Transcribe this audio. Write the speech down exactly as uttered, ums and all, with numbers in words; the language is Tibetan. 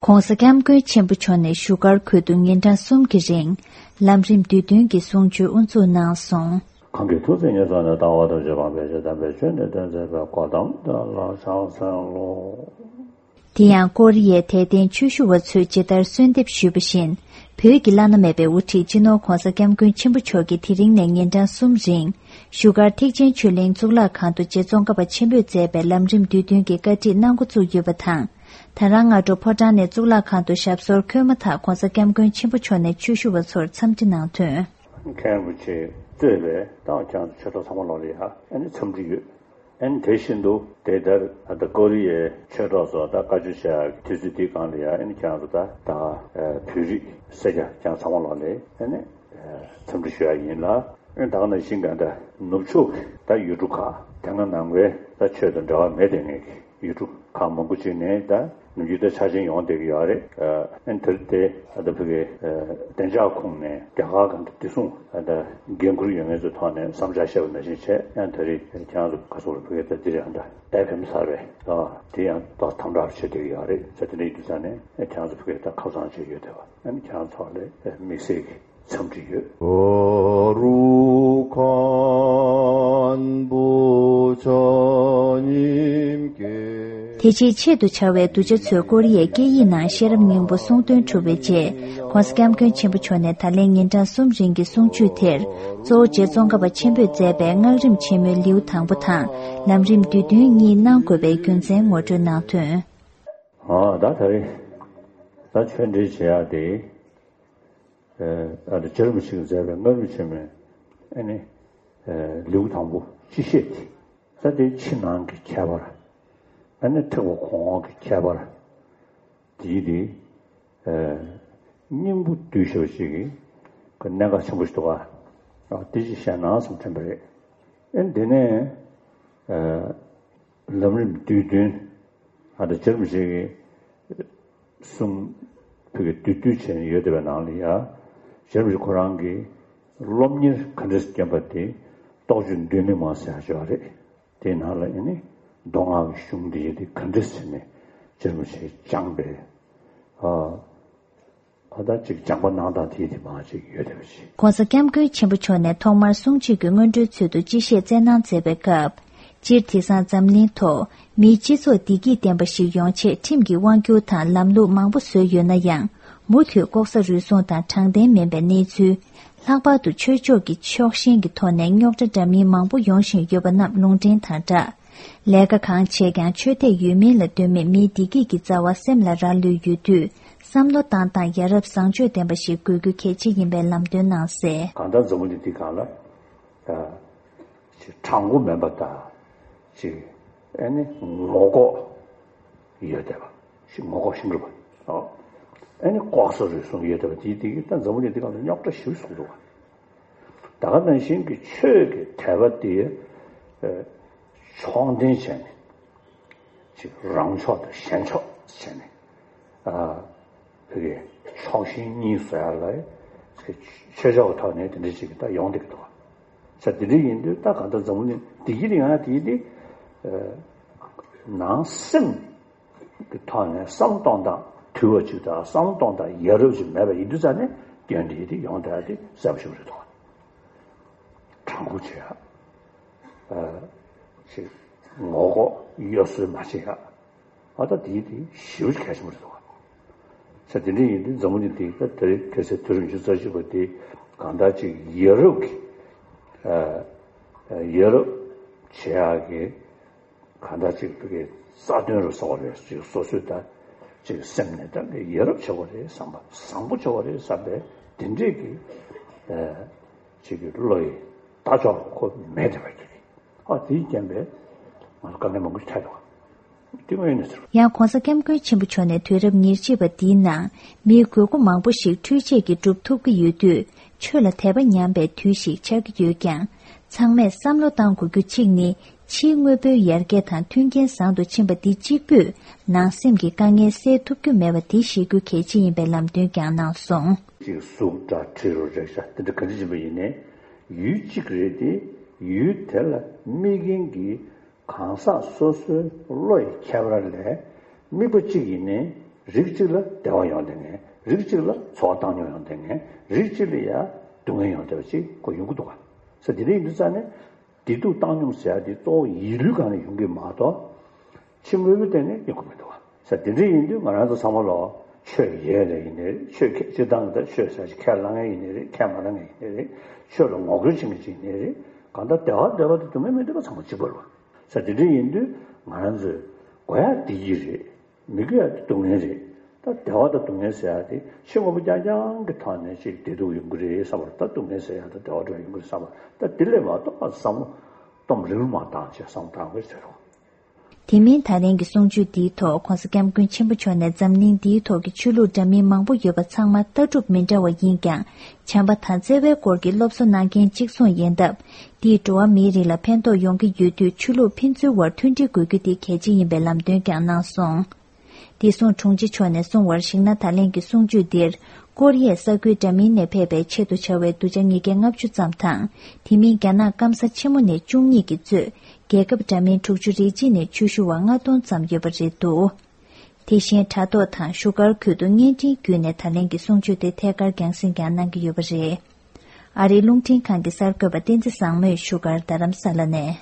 ༸གོང་ས་༸སྐྱབས་མགོན་ཆེན་པོ་མཆོག་ནས་བཞུགས་སྒར་ཁུལ་དུ་ཉིན་གྲངས་གསུམ་གྱི་རིང་ལམ་རིམ་བསྡུས་དོན་གྱི་གསུང་ཆོས་དབུ་འཛུགས་གནང་སོང་། གང་གིས་ཐུགས་བརྩེ་ཉེར་བཟུང་ནས། ལྟ་བ་ཐམས་ཅད་སྤང་བའི་ཕྱིར། དམ་པའི་ཆོས་ནི་སྟོན་མཛད་པའི། གོ་ཏམ་དེ་ལ་ཕྱག་འཚལ་ལོ། དེ་ཡང་ཀོ་རི་ཡའི་དད་ལྡན་ཆོས་ཞུ་བ་ཚོས་ཇི་ལྟར་གསོལ་འདེབས་ཞུས་པ་བཞིན། བོད་ཀྱི་བླ་ན་མེད་པའི་དབུ་ཁྲིད་སྤྱི་ནོར་༸གོང་ས་༸སྐྱབས་མགོན་ཆེན་པོ་མཆོག་གིས་དེ་རིང་ནས་ཉིན་གྲངས་གསུམ་རིང་བཞུགས་སྒར་ཐེག་ཆེན་ཆོས་གླིང་གཙུག་ལག་ཁང་དུ་རྗེ་ཙོང་ཁ་པ་ཆེན་པོས་མཛད་པའི་ལམ་རིམ་བསྡུས་དོན་གྱི་བཀའ་ཁྲིད་གནང་འགོ་བཙུགས་ཡོད་པ་དང་། ད་རང་སྔ་དྲོ་ཕོ་བྲང་ནས་གཙུག་ལག་ཁང་དུ་ཞབས་སོར་འཁོད་མ་ཐག་༸གོང་ས་༸སྐྱབས་མགོན་ཆེན་པོ་མཆོག་ནས་ཆོས་ཞུ་བ་ཚོར་འཚམས་འདྲི་གནང་དོན། མཁན་རིན་པོ་ཆེ་གཙོས་པའི་ཏང་ཁྱེད་རང་ཚོ་ཆོས་གྲོགས་ཚང་མ་ལོག་ལ་ཡ་ཨ་ནི་འཚམས་འདྲི་ཡོད། ཨ་ནི་དེ་བཞིན་དུ་དེ་ལྟར་ད་ལྟ་ཀོ་རི་ཡའི་ཆོས་གྲོགས་ཚོ་ད་བཀའ་ཆོས་བཤད་ཡག་དུས་ཚོད་འདིའི་སྒང་ལ་ཡ་ཨ་ནི་ཁྱེད་རང་ཚོ་ད་ད་བོད་རིགས་སེར་སྐྱ་ཁྱེད་རང་ཚང་མ་ལོག་ལ་ཨ་ནི་འཚམས་འདྲི་ཞུ་ཡག་ཡིན་ལ། ཨ་ནི་ད་ག་ནང་བཞིན་ག་ད་ནུབ་ཕྱོགས་ཀྱི་ད་ཡུལ་གྲུ་ཁག་དེ་སྔ་ནང་པའི་ད་ཆོས་དང་འབྲེལ་བ་མེད་དེ་ངེས་ཀྱི། ཡུལ་གྲུ་ཁག་མང་པོ་ཅིག་ནས་ད་ནུབ་རྒྱུད་དེ་ཆ་ཆེན་ཡོང་བསྡད་ཀྱི་ཡོད་རེད། ཨ་ནི་དེ་རིང་དེ་ད་ལྟ་བོད་ཀྱི་བདེ་འཇགས་ཁོངས་ནས་རྒྱ་གར་གང་དུ་བདེ་སྲུང་ད་འགན་འཁུར་ཡོད་མཁན་ཚོའི་ཐོག་ནས་བསམ་འཆར་བཤད་པ་ནང་བཞིན་བྱས། ཡང་དེ་རིང་ཁྱེད་རང་ཚོ་ག་སོགས་ལ་བོད་ཀྱི་ད་འདི་རེད། ཨ་ད་ཨེ་ཕེམ་ས་རེད། ཨ་དེ་ཡང་ཏོག་དམ་དྲག་བྱེད་བསྡད་ཀྱི་ཡོད་རེད། བྱས་དེ་འདྲ་ཡིན་དུས་ཙང་ནས་ཨ་ཁྱེད་རང་ཚོ་བོད་ཀྱི་ད་ཁ་སང་བྱས་ཡོད་བསྡད་པ། ཨ་ནི་ཁྱེད་རང་ཚོ་ལ་དམིགས་བསལ་གྱི་འཚམས་འདྲི་ཡོད། དེ་རྗེས་ཆེད་དུ་བཅར་བའི་གདུལ་བྱ་ཚོས་ཀོ་རི་ཡའི་སྐད་ཡིག་ནང་ཤེས་རབ་སྙིང་པོ་གསུང་འདོན་གྲུབ་པའི་རྗེས། ༸གོང་ས་༸སྐྱབས་མགོན་ཆེན་པོ་མཆོག་ནས་ད་ལན་ཉིན་གྲངས་གསུམ་རིང་གི་གསུང་ཆོས་དེར། གཙོ་བོ་རྗེ་ཙོང་ཁ་པ་ཆེན་པོས་མཛད་པའི་སྔགས་རིམ་ཆེན་མོའི་ལེའུ་དང་པོ་དང་། ལམ་རིམ་བསྡུས་དོན་གཉིས་གནང་དགོས་པའི་རྒྱུ་མཚན་ངོ་སྤྲོད་གནང་དོན། ཨ་ད་ད་རེས་ད་ཆོས་འབྲེལ་བྱེད་ཡག་དེ། ཨ་ནི་རྗེ་རིན་པོ་ཆེས་མཛད་པའི་སྔགས་རིམ་ཆེན་མོའི་ཨ་ནི་ལེའུ་དང་པོ་སྤྱི་བཤད་དེ། ད་དེ་ཕྱི་ནང་གི་ཁྱད་པར། ཨ་ནི་ཐེག་པ་གོང་འོག་གི་ཁྱད་པར། དེའི་དེ་སྙིང་པོ་བསྡུས་ཞེས་པ་ཞིག་གི་གནད་འགག་ཆེན་པོ་ཞིག་འདུག་ག་ཨ་དེ་ཅིག་བཤད་ན་བསམ་དྲན་པ་རེད། ཨ་ནི་དེ་ནས་ལམ་རིམ་བསྡུས་དོན། ཨ་ད་རྗེ་རིན་པོ་ཆེ་གི་གསུང་བོད་ཀྱི་བསྡུས་བསྡུས་བྱས་ནས་ཡོད་བསྡད་པའི་ནང་ལ་ཡ། རྗེ་རིན་པོ་ཆེ་ཁོ་རང་གིས་སློབ་གཉེར་ག་འདྲས་བསྐྱོན་པ་དེ་རྟོགས་བརྗོད་མདོ་མི་མང་ཟེར་ཡག་ཅིག་ཡོད་རེད། དེའི་ནང་ལ་ཨ་ནི་མདོ་སྔགས་ཀྱི་གཞུང་འདི་ཡི་དེ་ག་འདྲས་བྱས་ནས་རྗེ་རིན་པོ་ཆེས་སྦྱངས་པས། ཨ་ཨ་ད་ཅིག་སྦྱངས་པ་གནང་སྟངས་དེ་ཡི་དེ་མང་ཅིག་ཡོད་བསྡད་པ་ཞིག ༸གོང་ས་༸སྐྱབས་མགོན་ཆེན་པོ་མཆོག་ནས་ཐོག་མར་གསུང་ཆོས་ཀྱི་སྔོན་འགྲོའི་ཚུལ་དུ་སྤྱི་བཤད་སྩལ་གནང་མཛད་པའི་སྐབས། སྤྱིར་དེང་སང་འཛམ་གླིང་ཐོག་མིའི་སྤྱི་ཚོགས་བདེ་སྐྱིད་ལྡན་པ་ཞིག་ཡོང་ཆེད་ཁྲིམས་ཀྱི་དབང་སྒྱུར་དང་ལམ་ལུགས་མང་པོ་བཟོས་ཡོད་ན་ཡང་། མུ་མཐུད་ལྐོག་ཟ་རུལ་སུངས་དང་དྲང་བདེན་མིན་པའི་གནས་ཚུལ། ལྷག་པར་དུ་ཆོས་ཕྱོགས་ཀྱི་ཕྱོགས་ཞེན་གྱི་ཐོག་ནས་རྙོག་དྲ་འདྲ་མིན་མང་པོ་ཡོང་བཞིན་ཡོད་པ་རྣམས་ལུང་འདྲེན་དང་སྦྲགས། ལས་ཀ་གང་བྱེད་ཀྱང་ཆོས་དད་ཡོད་མིན་ལ་ལྟོས་མེད་མིའི་བདེ་སྐྱིད་ཀྱི་རྩ་བ་སེམས་ལ་རག་ལུས་ཡོད་དུས། བསམ་བློ་བཏང་སྟངས་ཡ་རབས་བཟང་སྤྱོད་ལྡན་པ་ཞིག་དགོས་རྒྱུ་གལ་ཆེ་ཡིན་པའི་ལམ་སྟོན་གནང་གསལ། གང་ལྟར་འཛམ་བུ་གླིང་འདི་སྒང་ལ། ཅིག་དྲང་པོ་མིན་པ་དང་། ཅིག་ཨ་ནི་ངོ་ལྐོག་ཡོད་བསྡད་པ། ཅིག་ངོ་ལྐོག་ཤིང་རུས་པ། ཨ་ནི་ལྐོག་ཟ་རུལ་སུངས་ཡོད་བསྡད་པ་དེ་དེ་གིས་ད་འཛམ་བུ་གླིང་འདི་སྒང་ལ་རྙོག་དྲ་ཞེ་པོ་བཟོ་གི་འདུག་ག་ད་ག་ནང་བཞིན་གྱི་ཆོས་ཀྱི་དད་པ་དེ་ཕྱོགས་འཐེན་བྱས་ནས། ཅིག་རང་ཕྱོགས་དང་གཞན་ཕྱོགས་བྱས་ནས། ཨ་བོད་ཀྱི་ཕྱོགས་ཞེན་གཉིས་བཟོ་ཡག་ལ་ཆོས་ཕྱོགས་ཀྱི་ཐོག་ནས་དེ་འདྲ་ཅིག་ད་ཡོང་བསྡད་ཀྱི་འདུག་ག་ས་དེ་འདྲ་ཡིན་དུས་ད་གང་ལྟར་འཛམ་བུ་གླིང་བདེ་སྐྱིད་ཡོང་ཡག་དེ་དེ་ནང་སེམས་ཀྱི་ཐོག་ནས་བསམ་བློ་གཏོང་སྟངས་དུལ་བ་ཅིག་དང་བསམ་བློ་གཏོང་སྟངས་ཡ་རབས་ཅིག་མེད་པ་ཡིན་དུས་ཙང་ནས་སྐྱོན་དེ་དེ་ཡོང་བསྡད་ཡག་དེ་གསལ་པོ་ཞེ་པོ་རེད་འདུག་ག་དྲང་པོ་བྱེད་ཡག་ཅིག་ངོ་ལྐོག་གཡོ་ཟོལ་མ་བྱེད་ཡག་ཨ་ད་དེའི་དེ་ཞེ་པོ་ཅིག་གལ་ཆེན་པོ་རེད་འདུག་ག་ས་དེ་འདྲ་ཡིན་དུས་འཛམ་བུ་གླིང་འདི་ད་དེ་རིང་ཁ་སང་དུས་རབས་ཉི་ཤུ་རྩ་གཅིག་པ་དེ་གང་ལྟར་ཅིག་ཡ་རབས་ཀྱི་ཨ་ཡ་རབས་བྱེད་ཡག་གི་གང་ལྟར་ཅིག་བོད་ཀྱི་རྩ་དོན་རུ་བཟོ་བ་རེད། ཅིག་སོ་སོའི་ད་ཅིག་སེམས་ནས་ད་ཡ་རབས་བྱེད་དགོས་རེད་བསམ་པ། བཟང་པོ་བྱེད་དགོས་རེད་བསམ་པའི་དེ་འདྲས་ཀྱི་ཨ་ཅིག་གི་བློ་ཡི་ལྟ་ཕྱོགས་ཁོ་མེད་བསྡད་པ་ཅིག་ཨ་དེའི་རྐྱེན་པས་ང་ཚོ་དཀའ་ངལ་མང་པོ་ཞིག་འཕྲད་འདུག་དེ་དངོས་ཡོད་གནས་ཚུལ། ཡང་༸གོང་ས་༸སྐྱབས་མགོན་ཆེན་པོ་མཆོག་ནས་དུས་རབས་ཉེར་གཅིག་པ་འདིའི་ནང་མིའི་དགོས་མཁོ་མང་པོ་ཞིག་འཕྲུལ་ཆས་ཀྱིས་སྒྲུབ་ཐུབ་ཀྱི་ཡོད་དུས། ཆོས་ལ་དད་པ་ཉམས་པའི་དུས་ཤིག་ཆགས་ཀྱི་ཡོད་ཀྱང་། ཚང་མས་བསམ་བློ་གཏང་དགོས་རྒྱུ་གཅིག་ནི། ཕྱིའི་དངོས་པོའི་ཡར་རྒྱས་དང་མཐུན་རྐྱེན་བཟང་དུ་ཕྱིན་པ་འདི་གཅིག་པུས་ནང་སེམས་ཀྱི་དཀའ་ངལ་སེལ་ཐུབ་རྒྱུ་མེད་པ་འདི་ཤེས་རྒྱུ་གལ་ཆེ་ཡིན་པའི་ལམ་སྟོན་ཀྱང་གནང་སོང་། ཅིག་གཟུགས་སྒྲ་དྲི་རོ་རེག་བྱ་དེ་འདྲ་ག་འདྲ་ཡིན་པ་ཡིན་ནའི། ཡུལ་གཅིག་རེད་དེ། ཡུལ་དེ་ལ་དམིགས་མཁན་གྱི་གང་ཟག་སོ་སོའི་བློ་ཡི་ཁྱད་པར་ལས། དམིགས་པ་གཅིག་ཡིན་ནའི། རིགས་གཅིག་ལ་བདེ་བ་ཡོང་བསྡད་མཁན། རིགས་གཅིག་ལ་འཚོ་བ་བཏང་སྙོམས་ཡོང་བསྡད་མཁན། རིགས་གཅིག་ལ་ཡ་སྡུག་བསྔལ་ཡོང་བསྡད་པ་ཅིག་ཁོ་ཡོང་གི་འདུག་ག་ས། དེ་འདྲ་ཡིན་དུས་ཙང་ནས་བདེ་སྡུག་བཏང་སྙོམས་ཟེར་ཡ་དེ་གཙོ་བོ་ཡིད་ལུས་སྒང་ནས་ཡོང་གི་མ་གཏོགས། ཕྱི་དངོས་པོའི་སྟེང་ནས་ཡོང་གི་མི་འདུག་ག་ས། དེ་འདྲ་ཡིན་དུས་ང་རང་ཚོ་ཚང་མ་ལོ་ཆོས་ཡོད་ལ་ཡིན་ནའི་རེད། ཆོས་ཁས་སྤྱིར་བཏང་གི་ད་ཆོས་ཟེར་ཅིག་ཁས་བླངས་མཁན་ཡིན་ནའི་རེད། ཁས་མ་བླངས་མཁན་ཡིན་ནའི་རེད། ཆོས་ལ་ངོ་རྒོལ་བྱེད་མཁན་ཅིག་ཡིན་ནའི་རེད། གང་ལྟར་བདེ་བ་འདོད་པ་དང་སྡུག་བསྔལ་མི་འདོད་པ་ཚང་མ་གཅིག་པ་རེད་བ། ས། དེ་འདྲ་ཡིན་དུས་ང་རང་ཚོས་དགོས་ཡ་བདེ་སྐྱིད་རེད། མི་དགོས་ཡ་དེ་སྡུག་བསྔལ་རེད། ད་བདེ་བ་དང་སྡུག་བསྔལ་ཟེར་ཡ་དེ་ཕྱི་དངོས་པོ་རྐྱང་རྐྱང་གི་ཐོག་ནས་ཅིག་བདེ་སྡུག་ཡོང་གི་རེད་བསམ་པ། ད་སྡུག་བསྔལ་ཟེར་ཡ་དང་བདེ་བ་འདྲ་ཡོང་གི་རེད་བསམ་པ། ད་དེ་ལས་མ་གཏོགས་བསམ་བློ་གཏོང་རེའུ་མ་བཏང་བྱས་བསམ་བློ་བཏང་དགོས་ཟེར་རོ། དེ་མིན་ད་ལན་གྱི་གསུང་ཆོས་འདིའི་ཐོག་༸གོང་ས་༸སྐྱབས་མགོན་ཆེན་པོ་མཆོག་ནས་འཛམ་གླིང་འདིའི་ཐོག་གི་ཆོས་ལུགས་འདྲ་མིན་མང་པོ་ཡོད་པ་ཚང་མ་ལྟ་གྲུབ་མི་འདྲ་བ་ཡིན་ཀྱང་། བྱམས་པ་དང་བརྩེ་བའི་སྐོར་གྱི་སློབ་གསོ་གནང་མཁན་གཅིག་མཚུངས་ཡིན་སྟབས། འདིས་འགྲོ་བ་མིའི་རིགས་ལ་ཕན་ཐོགས་ཡོང་གི་ཡོད་དུས། ཆོས་ལུགས་ཕན་ཚུན་བར་མཐུན་སྒྲིལ་དགོས་རྒྱུ་དེ་གལ་ཆེ་ཡིན་པའི་ལམ་སྟོན་ཀྱང་གནང་སོང་། བདེ་སྲུང་དྲུང་ཆེ་མཆོག་ནས་གསུངས་པར་གཞིགས་ན། ད་ལན་གྱི་གསུང་ཆོས་འདིར། ཀོ་རི་ཡའི་ས་ཁུལ་འདྲ་མིན་ནས་ཕེབས་པའི་ཆེད་དུ་བྱ་བའི་གདུལ་བྱ་ཉིས་བརྒྱ་ལྔ་བཅུ་ཙམ་དང་། དེ་མིན་རྒྱ་ནག་སྐམ་ས་ཆེན་མོ་ནས་བཅུ་གཉིས་ཀྱིས་གཙོས། རྒྱལ་ཁབ་འདྲ་མིན་དྲུག་ཅུ་རེ་གཅིག་ནས་ཆོས་ཞུ་བ་ལྔ་སྟོང་ཙམ་ཡོད་པ་རེད་འདུག་དེ་བཞིན་དྲ་ཐོག་དང་བཞུགས་སྒར་ཁུལ་དུ་བརྙན་འཕྲིན་བརྒྱུད་ནས་ད་ལན་གྱི་གསུང་ཆོས་དེ་ཐད་ཀར་རྒྱང་སྲིང་ཀྱང་གནང་གི་ཡོད་པ་རེད། ཨ་རིའི་རླུང་འཕྲིན་ཁང་གི་གསར་འགོད་པ་བསྟན་འཛིན་བཟང་མོས་བཞུགས་སྒར་རྡ་རམ་ས་ལ་ནས།